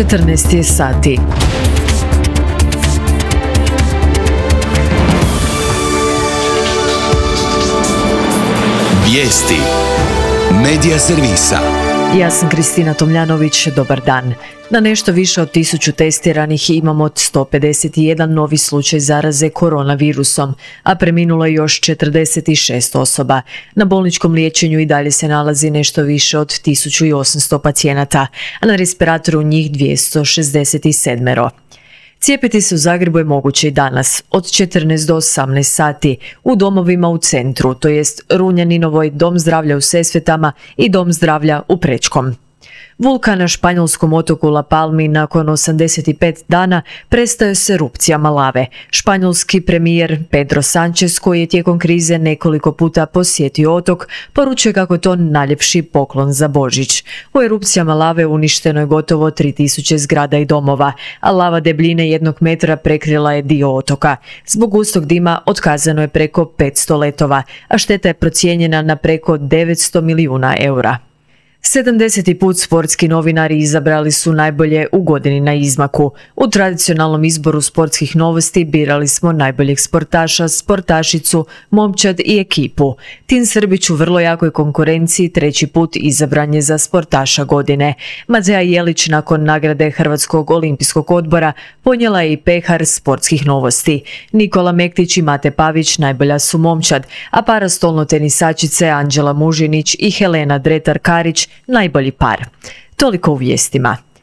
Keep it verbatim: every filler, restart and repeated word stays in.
četrnaest je sati. Vijesti Medija servisa. Ja sam Kristina Tomljanović, dobar dan. Na nešto više od tisuću testiranih imamo sto pedeset jedan novi slučaj zaraze koronavirusom, a preminulo je još četrdeset šest osoba. Na bolničkom liječenju i dalje se nalazi nešto više od tisuću osamsto pacijenata, a na respiratoru njih dvjesto šezdeset sedam. Cijepiti se u Zagrebu je moguće i danas, od četrnaest do osamnaest sati, u domovima u centru, to jest Runjaninovoj, Dom zdravlja u Sesvetama i Dom zdravlja u Prečkom. Vulkan na španjolskom otoku La Palmi nakon osamdeset pet dana prestaje s erupcijama lave. Španjolski premijer Pedro Sánchez, koji je tijekom krize nekoliko puta posjetio otok, poručuje kako to najljepši poklon za Božić. U erupcijama lave uništeno je gotovo tri tisuće zgrada i domova, a lava debljine jednog metra prekrila je dio otoka. Zbog gustog dima otkazano je preko petsto letova, a šteta je procijenjena na preko devetsto milijuna eura. sedamdeseti put sportski novinari izabrali su najbolje u godini na izmaku. U tradicionalnom izboru sportskih novosti birali smo najboljeg sportaša, sportašicu, momčad i ekipu. Tin Srbić u vrlo jakoj konkurenciji treći put izabran je za sportaša godine. Matea Jelić nakon nagrade Hrvatskog olimpijskog odbora ponijela je i pehar sportskih novosti. Nikola Mektić i Mate Pavić najbolja su momčad, a parastolno tenisačice Anđela Mužinić i Helena Dretar Karić najbolji par. Toliko u vijestima.